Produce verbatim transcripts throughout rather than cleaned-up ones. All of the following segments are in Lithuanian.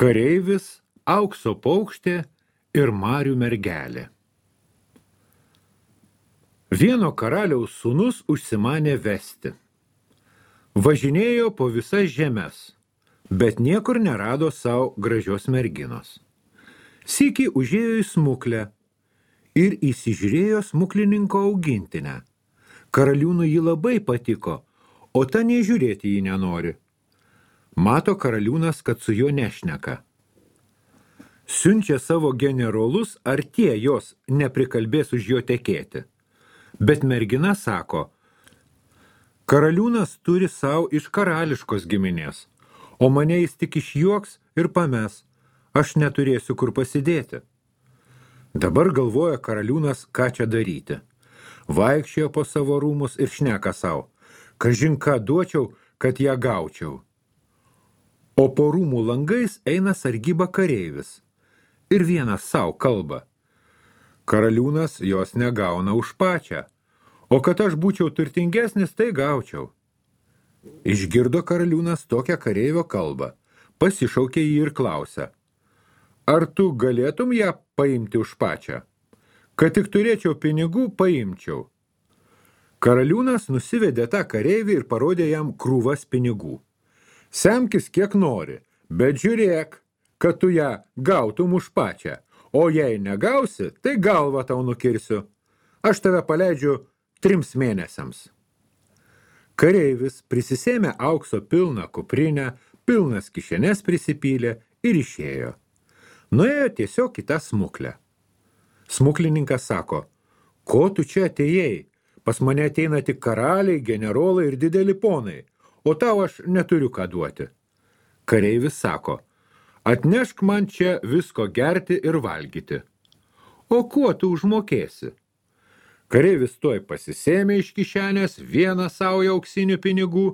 Kareivis, aukso paukštė ir marių mergelė. Vieno karaliaus sūnus užsimanė vesti. Važinėjo po visas žemes, bet niekur nerado savo gražios merginos. Sykį užėjo į smuklę ir įsižiūrėjo smuklininko augintinę. Karaliūnui ji labai patiko, o ta nei žiūrėti jį nenori. Mato karaliūnas, kad su juo nešneka. Siunčia savo generolus, ar tie jos neprikalbės už jo tekėti. Bet mergina sako, karaliūnas turi savo iš karališkos giminės, o mane jis tik išjuoks ir pames, aš neturėsiu kur pasidėti. Dabar galvoja karaliūnas, ką čia daryti. Vaikščiojo po savo rūmus ir šneka savo, kažin ką duočiau, kad ją gaučiau. O po rūmų langais eina sargyba kareivis ir vienas savo kalba. Karaliūnas jos negauna už pačią, o kad aš būčiau turtingesnis, tai gaučiau. Išgirdo karaliūnas tokią kareivio kalbą, pasišaukė jį ir klausia, ar tu galėtum ją paimti už pačią? Kad tik turėčiau pinigų, paimčiau. Karaliūnas nusivedė tą kareivį ir parodė jam krūvas pinigų. Semkis kiek nori, bet žiūrėk, kad tu ją gautum už pačią, o jei negausi, tai galvą tau nukirsiu. Aš tave paleidžiu trims mėnesiams. Kareivis prisisėmė aukso pilną kuprinę, pilnas kišenes prisipylė ir išėjo. Nuėjo tiesiog į tą smuklę. Smuklininkas sako, ko tu čia atėjai? Pas mane ateina tik karaliai, generolai ir dideli ponai, o tau aš neturiu ką duoti. Kareivis sako, atnešk man čia visko gerti ir valgyti. O kuo tu užmokėsi? Kareivis tuoj pasisėmė iš kišenės vieną saują auksinių pinigų,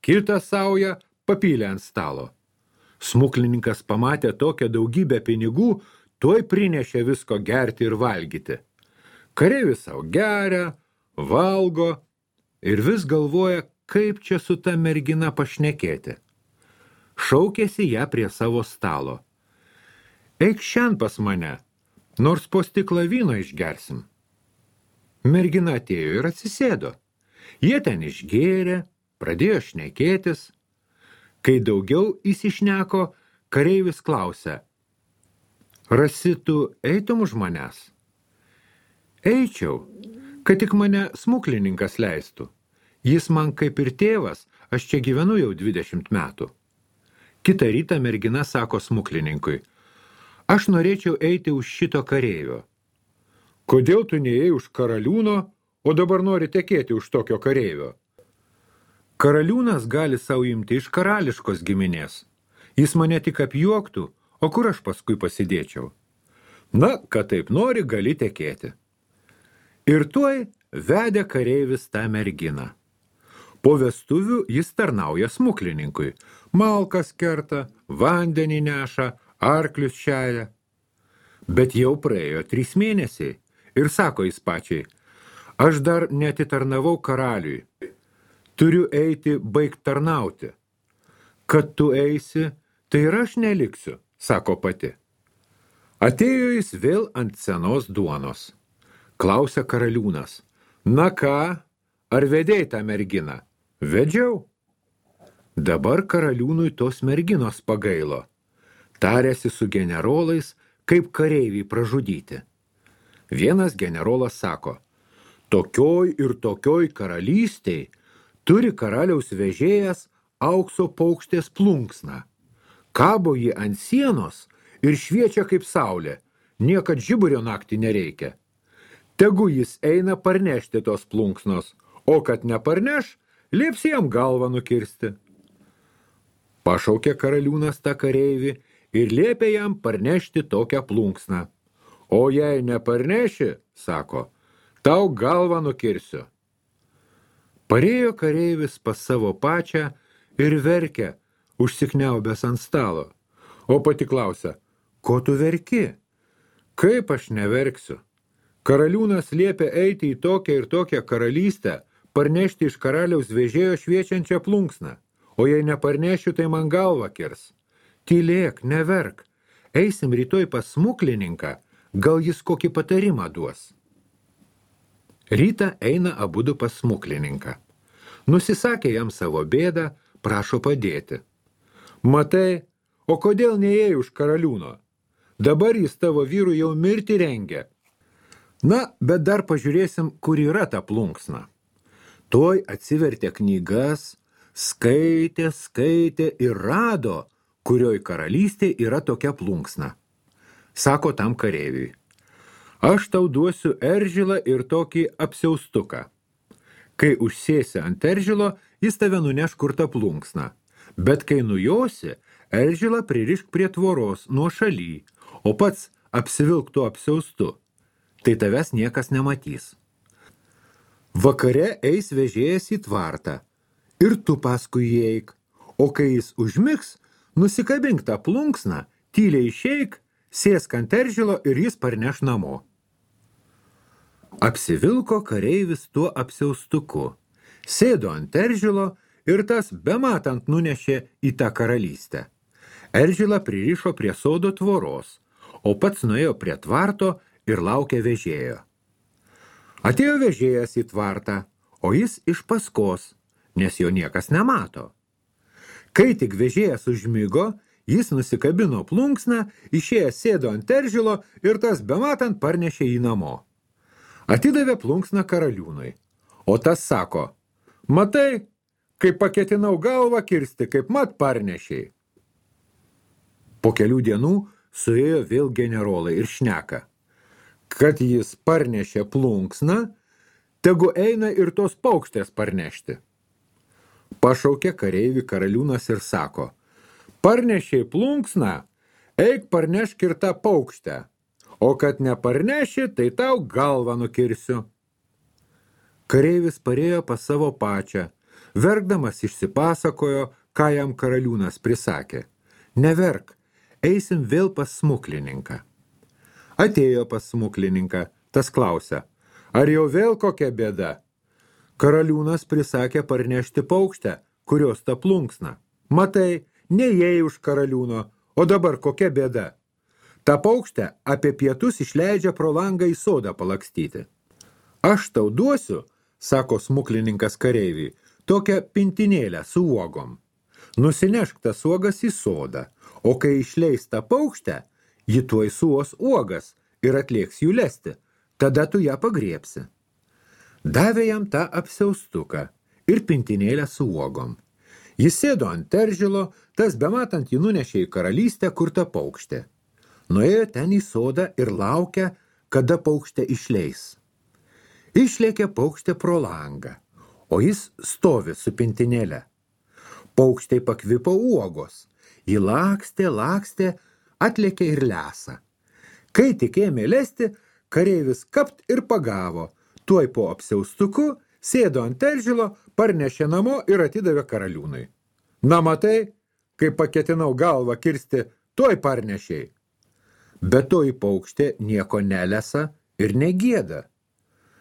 kitą saują papylė ant stalo. Smuklininkas pamatė tokią daugybę pinigų, tuoj prinešė visko gerti ir valgyti. Kareivis sau geria, valgo ir vis galvoja, kaip čia su ta mergina pašnekėti. Šaukėsi ją prie savo stalo. Eik šiandien pas mane, nors po stiklą vyno išgersim. Mergina atėjo ir atsisėdo. Jie ten išgėrė, pradėjo šnekėtis. Kai daugiau įsišneko, kareivis klausia, rasi tu eitum už manęs? Eičiau, kad tik mane smuklininkas leistų. Jis man kaip ir tėvas, aš čia gyvenu jau dvidešimt metų. Kitą rytą mergina sako smuklininkui, aš norėčiau eiti už šito kareivio. Kodėl tu neėjai už karaliūno, o dabar nori tekėti už tokio kareivio? Karaliūnas gali savo imti iš karališkos giminės. Jis mane tik apjuoktų, o kur aš paskui pasidėčiau? Na, kad taip nori, gali tekėti. Ir tuoj vedė kareivis tą merginą. Po vestuvių jis tarnauja smuklininkui. Malkas kerta, vandenį neša, arklius šeja. Bet jau praėjo trys mėnesiai ir sako jis pačiai, aš dar neatitarnavau karaliui. Turiu eiti baigt tarnauti. Kad tu eisi, tai ir aš neliksiu, sako pati. Atėjo jis vėl ant senos duonos. Klausia karaliūnas, na ką, ar vedėjai tą merginą? Vedžiau. Dabar karaliūnui tos merginos pagailo. Tarėsi su generolais, kaip kareivį pražudyti. Vienas generolas sako, tokioj ir tokioj karalystėj turi karaliaus vežėjas aukso paukštės plunksną. Kabo ji ant sienos ir šviečia kaip saulė, niekad žiburio naktį nereikia. Tegu jis eina parnešti tos plunksnos, o kad neparneš, lieps jam galvą nukirsti. Pašaukė karaliūnas tą kareivį ir liepė jam parnešti tokią plunksną. O jei neparneši, sako, tau galvą nukirsiu. Parėjo kareivis pas savo pačią ir verkia, užsikniaubęs ant stalo. O pati klausia, ko tu verki? Kaip aš neverksiu? Karaliūnas liepė eiti į tokią ir tokią karalystę, parnešti iš karaliaus vežėjo šviečiančią plunksną, o jei neparnešiu, tai man galvą kirs. tylėk, neverk, eisim rytoj pas smuklininką, gal jis kokį patarimą duos. Rytą eina abudu pas smuklininką. Nusisakė jam savo bėdą, prašo padėti. Matai, o kodėl neėjai už karaliūno? Dabar jis tavo vyrų jau mirti rengia. Na, bet dar pažiūrėsim, kur yra ta plunksna. Tuoj atsivertė knygas, skaitė, skaitė ir rado, kurioj karalystė yra tokia plunksna. Sako tam kareiviui. Aš tau duosiu eržilą ir tokį apsiaustuką. Kai užsėsi ant eržilo, jis tave nuneš kur ta plunksna. Bet kai nujosi, eržilą pririšk prie tvoros nuo šaly, o pats apsivilk tuo apsiaustu. Tai tavęs niekas nematys. Vakare eis vežėjas į tvartą ir tu paskui jį eik, o kai jis užmigs, nusikabink tą plunksną, tyliai išeik, sėsk ant eržilo ir jis parneš namo. Apsivilko kareivis tuo apsiaustuku, sėdo ant eržilo ir tas bematant nunešė į tą karalystę. Eržilą pririšo prie sodo tvoros, o pats nuėjo prie tvarto ir laukė vežėjo. Atėjo vežėjas į tvartą, o jis iš paskos, nes jo niekas nemato. Kai tik vežėjas užmigo, jis nusikabino plunksną, išėjęs sėdo ant eržilo ir tas bematant parnešė jį namo. Atidavė plunksną karaliūnui, o tas sako, matai, kai paketinau galvą kirsti, kaip mat parnešiai. Po kelių dienų suėjo vėl generolai ir šneka, kad jis parnešė plunksną, tegu eina ir tos paukštės parnešti. Pašaukė kareivį karaliūnas ir sako, parnešiai plunksną, eik parnešk ir tą paukštę, o kad neparneši, tai tau galvą nukirsiu. Kareivis parėjo pas savo pačią, verkdamas išsipasakojo, ką jam karaliūnas prisakė. Neverk, eisim vėl pas smuklininką. Atėjo pas smuklininką, tas klausia, ar jau vėl kokia bėda? Karaliūnas prisakė parnešti paukštę, kurios ta plunksna. Matai, neėjai už karaliūno, o dabar kokia bėda? Ta paukštę apie pietus išleidžia pro langą į sodą palakstyti. Aš tau duosiu, sako smuklininkas kareiviui, tokią pintinėlę su uogom. Nusinešk tas uogas į sodą, o kai išleis tą paukštę, ji tuoj suos uogas ir atlieks jų lesti, tada tu ją pagriebsi. Davė jam tą apsiaustuką ir pintinėlę su uogom. Jis sėdo ant eržilo, tas bematant jį nunešė į karalystę, kur ta paukštė. Nuėjo ten į sodą ir laukia, kada paukštė išleis. Išlėkė paukštė pro langą, o jis stovi su pintinėle. Paukštei pakvipo uogos. Ji lakstė, lakstė, atlėkė ir lesa. Kai tik ėmė lesti, kareivis kapt ir pagavo. Tuoj po apsiaustuku sėdo ant eržilo, parnešė namo ir atidavė karaliūnui. Na matai, kai paketinau galvą kirsti, tuoj parnešiai. Bet toji paukštė nieko nelesa ir negieda.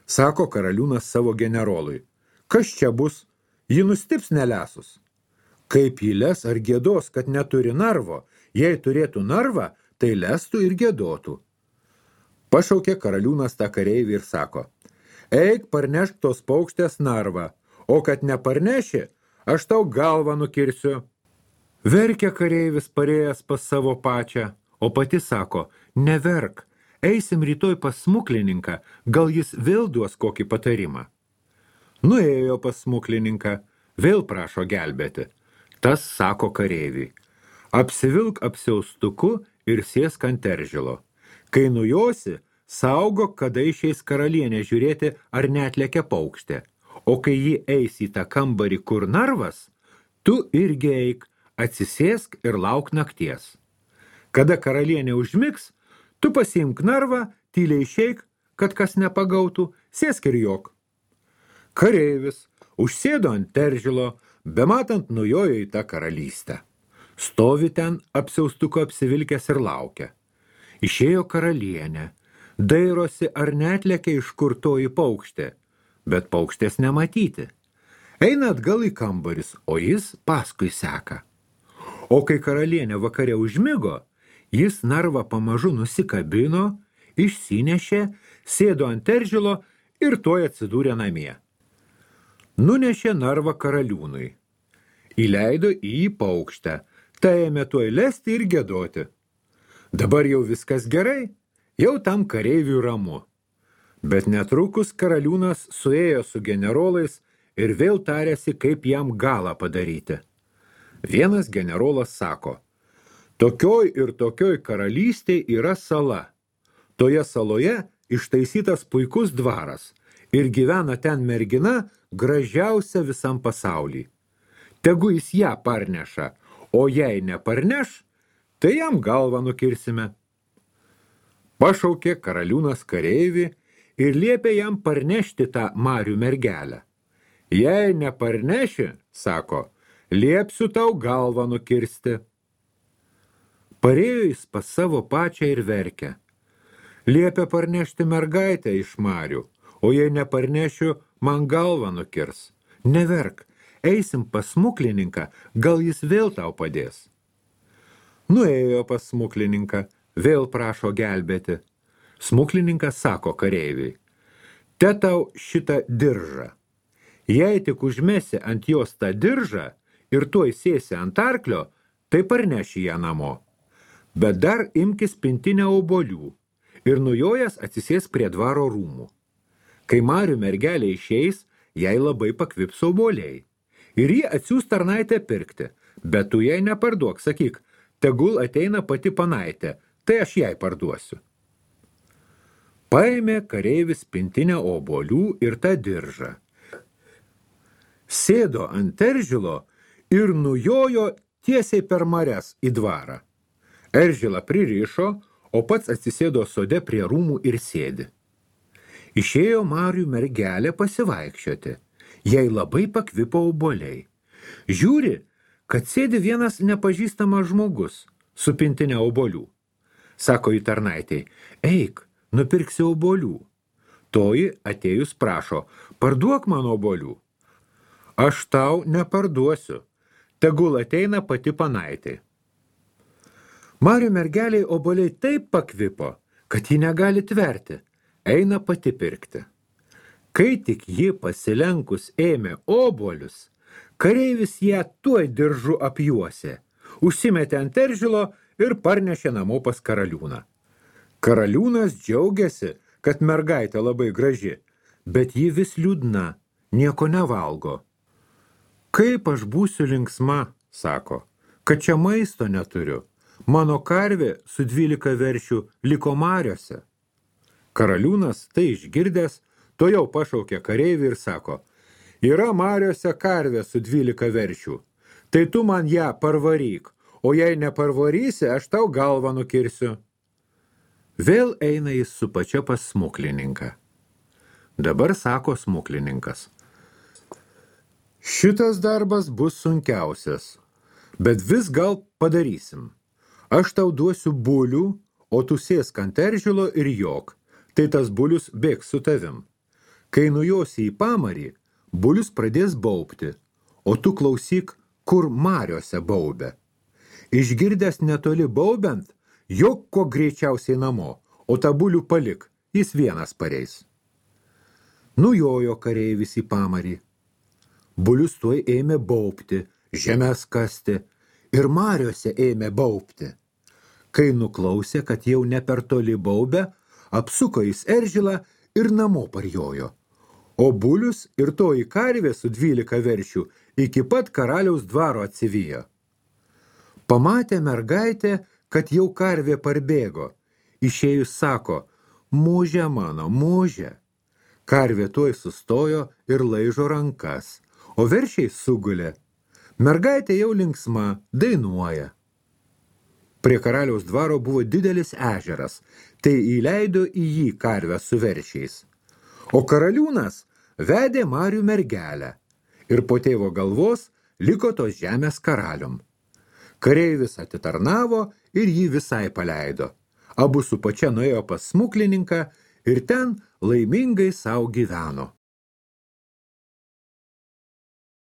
Sako karaliūnas savo generolui, kas čia bus, ji nustips nelesus. Kaip jį les ar gėdos, kad neturi narvo, jei turėtų narvą, tai lestų ir gėdotų. Pašaukė karaliūnas tą kareivį ir sako, eik parnešk tos paukštės narvą, o kad neparneši, aš tau galvą nukirsiu. Verkė kareivis parėjęs pas savo pačią, o pati sako, neverk, eisim rytoj pas smuklininką, gal jis vėl duos kokį patarimą. Nuėjo pas smuklininką, vėl prašo gelbėti. Tas sako kareiviui, apsivilk apsiaustuku ir sėsk ant eržilo. Kai nujosi, saugok, kada išeis karalienė žiūrėti, ar neatlekia paukštė. O kai ji eis į tą kambarį, kur narvas, tu irgi eik, atsisėsk ir lauk nakties. Kada karalienė užmigs, tu pasiimk narvą, tyliai išeik, kad kas nepagautų, sėsk ir jok. Kareivis užsėdo ant eržilo, bematant nujojo į tą karalystę. Stovi ten apsiaustuko apsivilkęs ir laukia. Išėjo karalienė, dairosi ar neatlekia iš kur toji paukštė, bet paukštės nematyti. Eina atgal į kambaris, o jis paskui seka. O kai karalienė vakare užmigo, jis narvą pamažu nusikabino, išsinešė, sėdo ant eržilo ir tuoj atsidūrė namie. Nunešė narvą karaliūnui. Įleido į jį paukštę, tai ėmė tuoj lesti ir giedoti. Dabar jau viskas gerai, jau tam kareiviui ramu. Bet netrukus karaliūnas suėjo su generolais ir vėl tarėsi, kaip jam galą padaryti. Vienas generolas sako, tokioj ir tokioj karalystėj yra sala. Toje saloje ištaisytas puikus dvaras ir gyvena ten mergina gražiausia visam pasauly. Tegu jis ją parneša, o jei neparneš, tai jam galvą nukirsime. Pašaukė karaliūnas kareivį ir liepė jam parnešti tą marių mergelę. Jei neparneši, sako, liepsiu tau galvą nukirsti. Parėjo jis pas savo pačią ir verkė. Liepė parnešti mergaitę iš marių, o jei neparnešiu, man galvą nukirs. Neverk, eisim pas smuklininką, gal jis vėl tau padės. Nuėjo pas smuklininką, vėl prašo gelbėti. Smuklininkas sako kareiviui, te tau šitą diržą. Jei tik užmesi ant jos tą diržą ir tuoj sėsi ant arklio, tai parneši ją namo. Bet dar imkis pintinę obuolių ir nujojęs atsisės prie dvaro rūmų. Kai marių mergelė išeis, jai labai pakvips obuoliai. Ir jį atsiųs tarnaitę pirkti, bet tu jai neparduok, sakyk, tegul ateina pati panaitė, tai aš jai parduosiu. Paėmė kareivis pintinę obuolių ir tą diržą. Sėdo ant eržilo ir nujojo tiesiai per marias į dvarą. Eržilą pririšo, o pats atsisėdo sode prie rūmų ir sėdi. Išėjo marių mergelė pasivaikščioti. Jai labai pakvipo obuoliai. Žiūri, kad sėdi vienas nepažįstamas žmogus su pintinė obuolių. Sako į tarnaitei, eik, nupirksi obuolių. Toji atėjus prašo, parduok man obuolių. Aš tau neparduosiu, tegul ateina pati panaitė. Marių mergeliai obuoliai taip pakvipo, kad ji negali tverti, eina pati pirkti. Kai tik ji pasilenkus ėmė obuolius, kareivis ją tuoj diržu apjuosė, užsimetė ant eržilo ir parnešė namo pas karaliūną. Karaliūnas džiaugiasi, kad mergaitė labai graži, bet ji vis liūdna, nieko nevalgo. Kaip aš būsiu linksma, sako, kad čia maisto neturiu. Mano karvė su dvylika veršių liko mariose. Karaliūnas tai išgirdęs, to jau pašaukė kareivį ir sako, yra mariose karvė su dvylika veršių, tai tu man ją parvaryk, o jei neparvarysi, aš tau galvą nukirsiu. Vėl eina jis su pačia pas smuklininką. Dabar sako smuklininkas, šitas darbas bus sunkiausias, bet vis gal padarysim. Aš tau duosiu bulių, o tu sėsk ant eržilo ir jok, tai tas bulius bėgs su tavim. Kai nujosi į pamarį, bulius pradės baubti, o tu klausyk, kur mariose baubia. Išgirdęs netoli baubiant, jok kuo greičiausiai namo, o tą bulių palik, jis vienas pareis. Nujojo kareivis į pamarį. Bulius tuoj ėmė baubti, žemės kasti ir mariose ėmė baubti. Kai nuklausė, kad jau ne per toli baubė, apsuko jis eržilą ir namo parjojo. O bulius ir toji karvė su dvylika veršių iki pat karaliaus dvaro atsivijo. Pamatė mergaitė, kad jau karvė parbėgo. Išėjus sako, muže mano, muže. Karvė tuoj sustojo ir laižo rankas, o veršiai sugulė. Mergaitė jau linksma, dainuoja. Prie karaliaus dvaro buvo didelis ežeras, tai įleido į jį karvę su veršiais. O karaliūnas vedė marių mergelę ir po tėvo galvos liko tos žemės karalium. Kareivis atitarnavo ir jį visai paleido. Abu su pačia nuėjo pas smuklininką ir ten laimingai sau gyveno.